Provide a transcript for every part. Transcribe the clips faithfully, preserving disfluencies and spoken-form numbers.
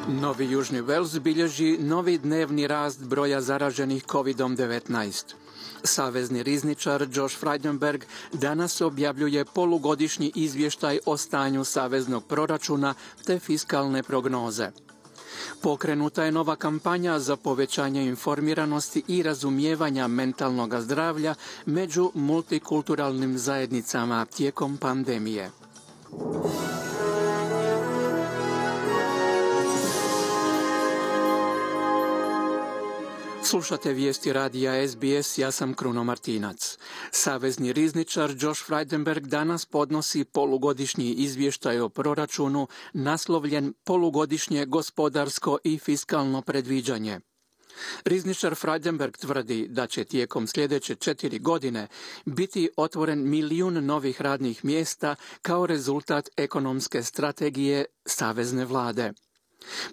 Novi Južni Vels bilježi novi dnevni rast broja zaraženih kovid devetnaest. Savezni rizničar Josh Frydenberg danas objavljuje polugodišnji izvještaj o stanju saveznog proračuna te fiskalne prognoze. Pokrenuta je nova kampanja za povećanje informiranosti i razumijevanja mentalnog zdravlja među multikulturalnim zajednicama tijekom pandemije. Slušate vijesti radija S B S, ja sam Kruno Martinac. Savezni rizničar Josh Frydenberg danas podnosi polugodišnji izvještaj o proračunu naslovljen Polugodišnje gospodarsko i fiskalno predviđanje. Rizničar Frydenberg tvrdi da će tijekom sljedeće četiri godine biti otvoren milijun novih radnih mjesta kao rezultat ekonomske strategije savezne vlade.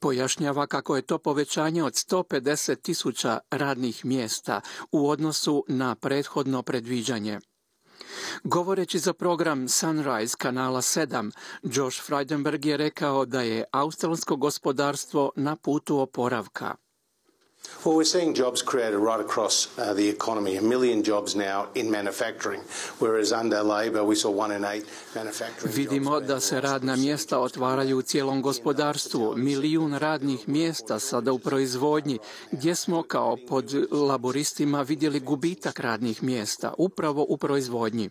Pojašnjava kako je to povećanje od sto pedeset tisuća radnih mjesta u odnosu na prethodno predviđanje. Govoreći za program Sunrise kanala sedam, Josh Frydenberg je rekao da je australsko gospodarstvo na putu oporavka. Well, we're seeing jobs created right across uh, the economy. A million jobs now in manufacturing, whereas under Labor we saw one in eight manufacturing. Vidimo da se radna mjesta otvaraju u cijelom gospodarstvu. Milijun radnih mjesta sada u proizvodnji, gdje smo kao pod laboristima vidjeli gubitak radnih mjesta, upravo u proizvodnji.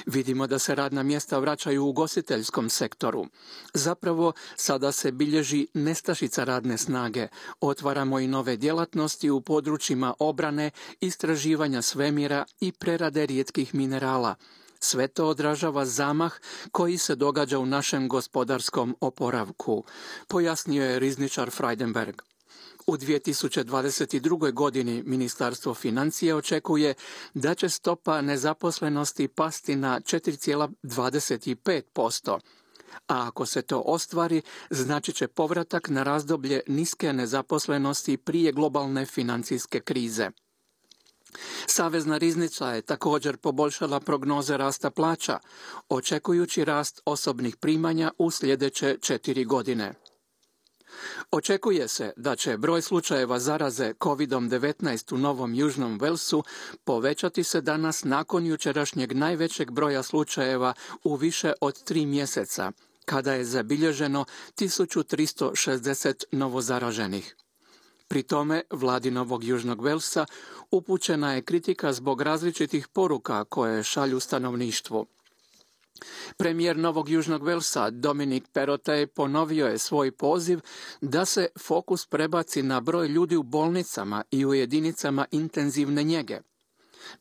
Vidimo da se radna mjesta vraćaju u ugostiteljskom sektoru. Zapravo, sada se bilježi nestašica radne snage. Otvaramo i nove djelatnosti u područjima obrane, istraživanja svemira i prerade rijetkih minerala. Sve to odražava zamah koji se događa u našem gospodarskom oporavku, pojasnio je rizničar Frydenberg. U dvije tisuće dvadeset druge. godini Ministarstvo financija očekuje da će stopa nezaposlenosti pasti na četiri zarez dvadeset pet posto, a ako se to ostvari, znači će povratak na razdoblje niske nezaposlenosti prije globalne financijske krize. Savezna riznica je također poboljšala prognoze rasta plaća, očekujući rast osobnih primanja u sljedeće četiri godine. Očekuje se da će broj slučajeva zaraze kovid devetnaest u Novom Južnom Velsu povećati se danas nakon jučerašnjeg najvećeg broja slučajeva u više od tri mjeseca, kada je zabilježeno tisuću tristo šezdeset novozaraženih. Pri tome, vladi Novog Južnog Velsa upućena je kritika zbog različitih poruka koje šalju stanovništvu. Premijer Novog Južnog Velsa Dominic Perrottet ponovio je svoj poziv da se fokus prebaci na broj ljudi u bolnicama i u jedinicama intenzivne njege.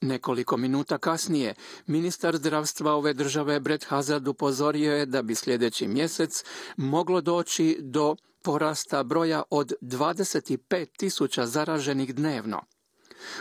Nekoliko minuta kasnije, ministar zdravstva ove države Brett Hazard upozorio je da bi sljedeći mjesec moglo doći do porasta broja od dvadeset pet tisuća zaraženih dnevno.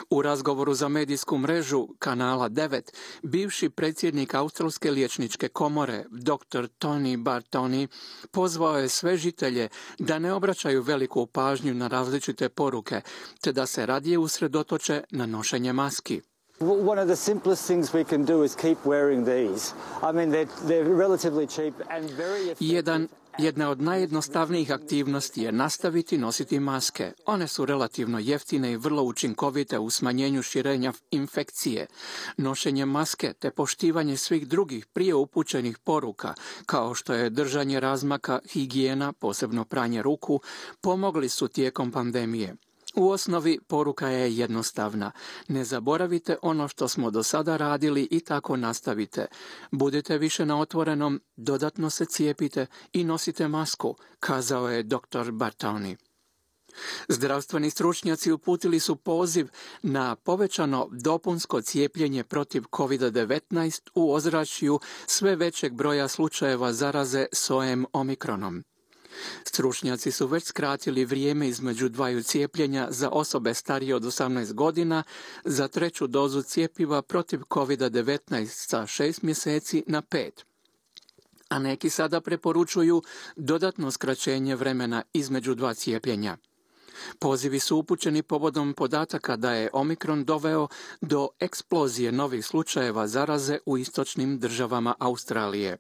U razgovoru za medijsku mrežu kanala devet, bivši predsjednik Australske liječničke komore, doktor Tony Bartoni, pozvao je sve žitelje da ne obraćaju veliku pažnju na različite poruke, te da se radije usredotoče na nošenje maski. One of the simplest things we can do is keep wearing these. I mean, they're, they're relatively cheap and very effective. Jedan Jedna od najjednostavnijih aktivnosti je nastaviti nositi maske. One su relativno jeftine i vrlo učinkovite u smanjenju širenja infekcije. Nošenje maske te poštivanje svih drugih prije upućenih poruka, kao što je držanje razmaka, higijena, posebno pranje ruku, pomogli su tijekom pandemije. U osnovi poruka je jednostavna. Ne zaboravite ono što smo do sada radili i tako nastavite. Budite više na otvorenom, dodatno se cijepite i nosite masku, kazao je doktor Bartoni. Zdravstveni stručnjaci uputili su poziv na povećano dopunsko cijepljenje protiv kovid devetnaest u ozračju sve većeg broja slučajeva zaraze sojem omikronom. Stručnjaci su već skratili vrijeme između dvaju cijepljenja za osobe starije od osamnaest godina za treću dozu cjepiva protiv kovid devetnaest sa šest mjeseci na pet. A neki sada preporučuju dodatno skraćenje vremena između dva cijepljenja. Pozivi su upućeni povodom podataka da je Omikron doveo do eksplozije novih slučajeva zaraze u istočnim državama Australije.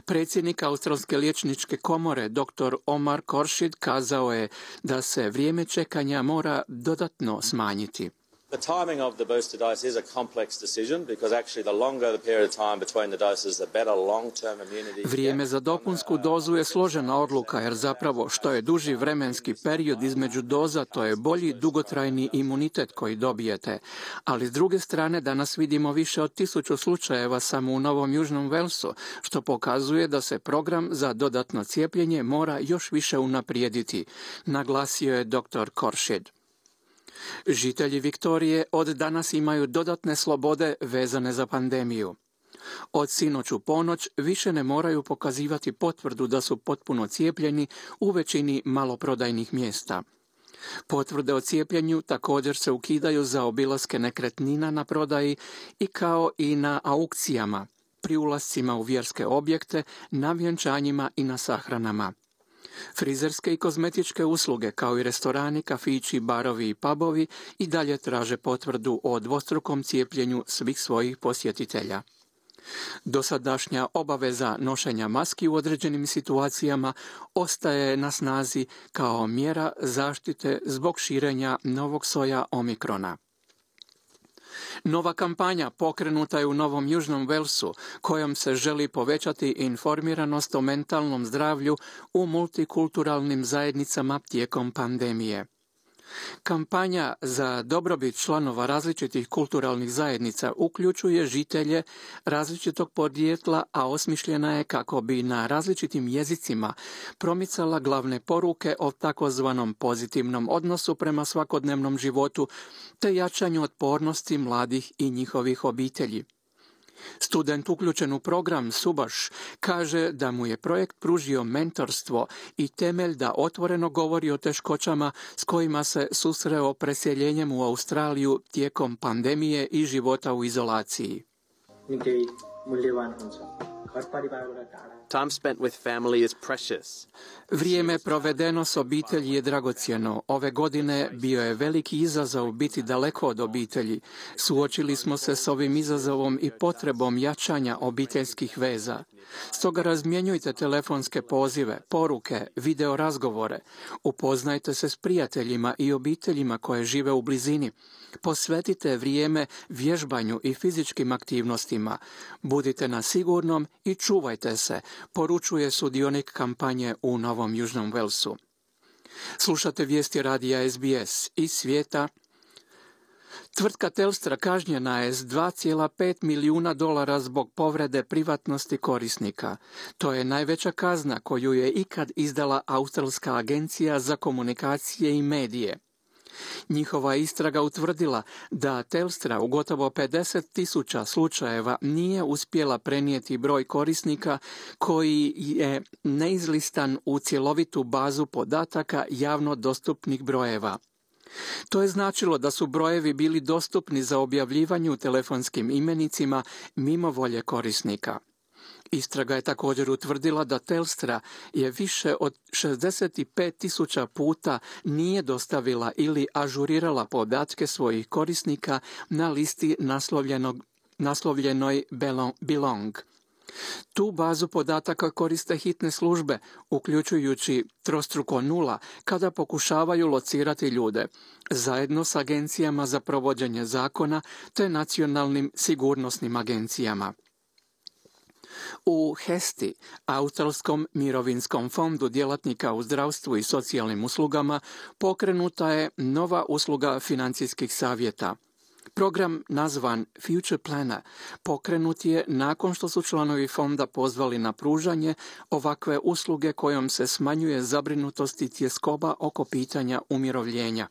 Predsjednik Australske liječničke komore doktor Omar Khorshid kazao je da se vrijeme čekanja mora dodatno smanjiti. The timing of the booster dose is a complex decision because actually the longer the period of time between the doses, the better long-term immunity. Vrijeme za dopunsku dozu je složena odluka jer zapravo što je duži vremenski period između doza, to je bolji dugotrajni imunitet koji dobijete. Ali s druge strane danas vidimo više od tisuću slučajeva samo u Novom Južnom Walesu, što pokazuje da se program za dodatno cijepljenje mora još više unaprijediti, naglasio je doktor Khorshid. Žitelji Viktorije od danas imaju dodatne slobode vezane za pandemiju. Od sinoć u ponoć više ne moraju pokazivati potvrdu da su potpuno cijepljeni u većini maloprodajnih mjesta. Potvrde o cijepljenju također se ukidaju za obilaske nekretnina na prodaji i kao i na aukcijama, pri ulascima u vjerske objekte, na vjenčanjima i na sahranama. Frizerske i kozmetičke usluge, kao i restorani, kafići, barovi i pubovi i dalje traže potvrdu o dvostrukom cijepljenju svih svojih posjetitelja. Dosadašnja obaveza nošenja maski u određenim situacijama ostaje na snazi kao mjera zaštite zbog širenja novog soja Omikrona. Nova kampanja pokrenuta je u Novom Južnom Walesu, kojom se želi povećati informiranost o mentalnom zdravlju u multikulturalnim zajednicama tijekom pandemije. Kampanja za dobrobit članova različitih kulturalnih zajednica uključuje žitelje različitog podrijetla, a osmišljena je kako bi na različitim jezicima promicala glavne poruke o takozvanom pozitivnom odnosu prema svakodnevnom životu te jačanju otpornosti mladih i njihovih obitelji. Student uključen u program Subaš kaže da mu je projekt pružio mentorstvo i temelj da otvoreno govori o teškoćama s kojima se susreo preseljenjem u Australiju tijekom pandemije i života u izolaciji. Time spent with family is precious. Vrijeme provedeno s obitelji je dragocjeno. Ove godine bio je veliki izazov biti daleko od obitelji. Suočili smo se s ovim izazovom i potrebom jačanja obiteljskih veza. Stoga razmjenjujte telefonske pozive, poruke, video razgovore. Upoznajte se s prijateljima i obiteljima koje žive u blizini. Posvetite vrijeme vježbanju i fizičkim aktivnostima. Budite na sigurnom i čuvajte se, poručuje sudionik kampanje u Novom Južnom Walesu. Slušate vijesti radija S B S iz svijeta. Tvrtka Telstra kažnjena je s dva zarez pet milijuna dolara zbog povrede privatnosti korisnika. To je najveća kazna koju je ikad izdala Australska agencija za komunikacije i medije. Njihova istraga utvrdila da Telstra u gotovo pedeset tisuća slučajeva nije uspjela prenijeti broj korisnika koji je neizlistan u cjelovitu bazu podataka javno dostupnih brojeva. To je značilo da su brojevi bili dostupni za objavljivanje u telefonskim imenicima mimo volje korisnika. Istraga je također utvrdila da Telstra je više od šezdeset pet tisuća puta nije dostavila ili ažurirala podatke svojih korisnika na listi naslovljenoj Belong. Tu bazu podataka koriste hitne službe, uključujući trostruko nula, kada pokušavaju locirati ljude, zajedno s agencijama za provođenje zakona te nacionalnim sigurnosnim agencijama. U Hesti, Australskom mirovinskom fondu djelatnika u zdravstvu i socijalnim uslugama, pokrenuta je nova usluga financijskih savjeta. Program nazvan Future Planner pokrenut je nakon što su članovi fonda pozvali na pružanje ovakve usluge kojom se smanjuje zabrinutost i tjeskoba oko pitanja umirovljenja.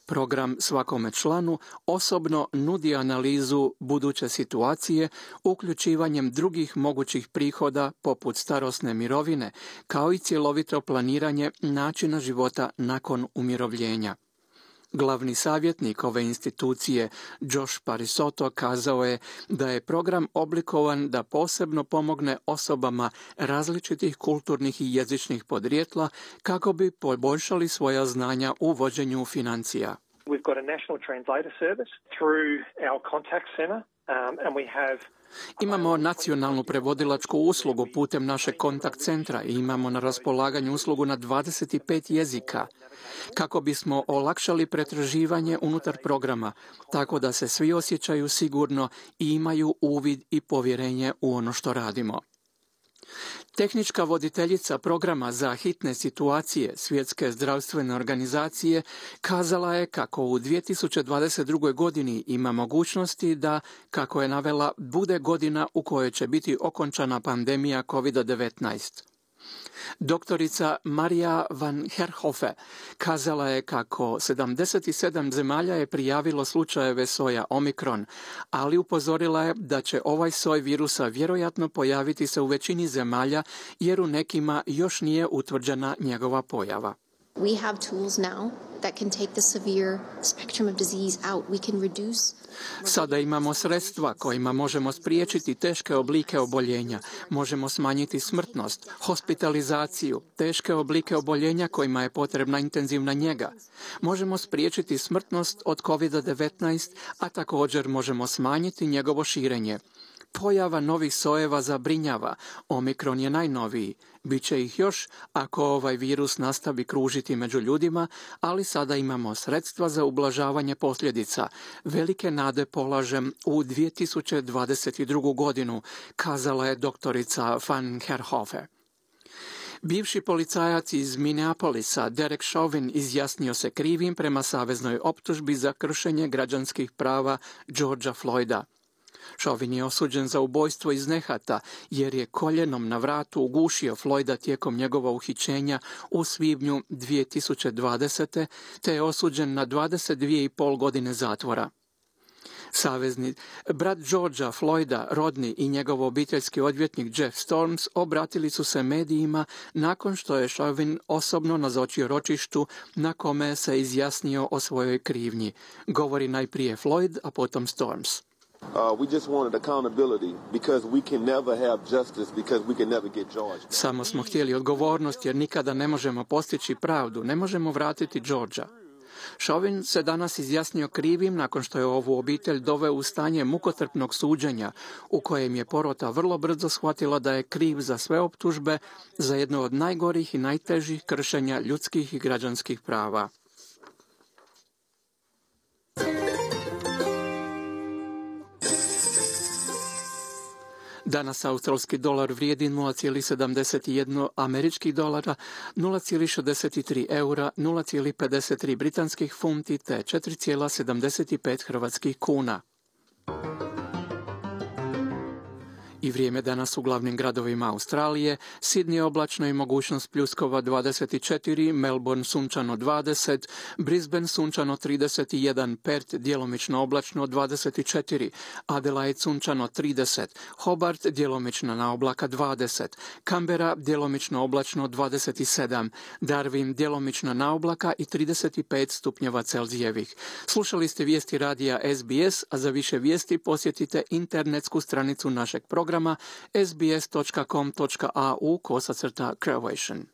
Program svakome članu osobno nudi analizu buduće situacije uključivanjem drugih mogućih prihoda poput starosne mirovine, kao i cjelovito planiranje načina života nakon umirovljenja. Glavni savjetnik ove institucije, Josh Parisotto, kazao je da je program oblikovan da posebno pomogne osobama različitih kulturnih i jezičnih podrijetla kako bi poboljšali svoja znanja u vođenju financija. We've got a national translator service through our contact center, um, and we have Imamo nacionalnu prevodilačku uslugu putem našeg kontakt centra i imamo na raspolaganju uslugu na dvadeset pet jezika kako bismo olakšali pretraživanje unutar programa, tako da se svi osjećaju sigurno i imaju uvid i povjerenje u ono što radimo. Tehnička voditeljica programa za hitne situacije Svjetske zdravstvene organizacije kazala je kako u dvije tisuće dvadeset drugoj. godini ima mogućnosti da, kako je navela, bude godina u kojoj će biti okončana pandemija kovid devetnaest. Doktorica Marija van Herhofe kazala je kako sedamdeset sedam zemalja je prijavilo slučajeve soja Omikron, ali upozorila je da će ovaj soj virusa vjerojatno pojaviti se u većini zemalja jer u nekima još nije utvrđena njegova pojava. We have tools now that can take the severe spectrum of disease out. We can reduce. Sada imamo sredstva kojima možemo spriječiti teške oblike oboljenja, možemo smanjiti smrtnost, hospitalizaciju, teške oblike oboljenja kojima je potrebna intenzivna njega. Možemo spriječiti smrtnost od kovid devetnaest, a također možemo smanjiti njegovo širenje. Pojava novih sojeva zabrinjava. Omikron je najnoviji. Biće ih još ako ovaj virus nastavi kružiti među ljudima, ali sada imamo sredstva za ublažavanje posljedica. Velike nade polažem u dvije tisuće dvadeset drugu. godinu, kazala je doktorica van Herhofe. Bivši policajac iz Minneapolisa, Derek Chauvin, izjasnio se krivim prema saveznoj optužbi za kršenje građanskih prava Georgea Floyda. Chauvin je osuđen za ubojstvo iz nehata jer je koljenom na vratu ugušio Floyda tijekom njegova uhićenja u svibnju dvije tisuće dvadesete. te je osuđen na dvadeset dvije i pol godine zatvora. Savezni brat Georgea Floyda, rodni i njegov obiteljski odvjetnik Jeff Storms obratili su se medijima nakon što je Chauvin osobno nazočio ročištu na kome se izjasnio o svojoj krivnji. Govori najprije Floyd, a potom Storms. Uh, we just wanted accountability because we can never have justice because we can never get George. Samo smo htjeli odgovornost jer nikada ne možemo postići pravdu, ne možemo vratiti Georgea. Chauvin se danas izjasnio krivim nakon što je ovu obitelj doveo u stanje mukotrpnog suđenja u kojem je porota vrlo brzo shvatila da je kriv za sve optužbe za jedno od najgorih i najtežih kršenja ljudskih i građanskih prava. Danas australski dolar vrijedi nula zarez sedamdeset jedan američkih dolara, nula zarez šezdeset tri eura, nula zarez pedeset tri britanskih funti te četiri zarez sedamdeset pet hrvatskih kuna. I vrijeme danas u glavnim gradovima Australije: Sydney oblačno i mogućnost pljuskova dvadeset četiri, Melbourne sunčano dvadeset, Brisbane sunčano trideset jedan, Perth djelomično oblačno dvadeset četiri, Adelaide sunčano trideset, Hobart djelomično na oblaka dvadeset, Canberra djelomično oblačno dvadeset sedam, Darwin djelomično na oblaka i trideset pet stupnjeva Celzijevih. Slušali ste vijesti radija S B S, a za više vijesti posjetite internetsku stranicu našeg programa s b s dot com dot a u kosacrta Croatian.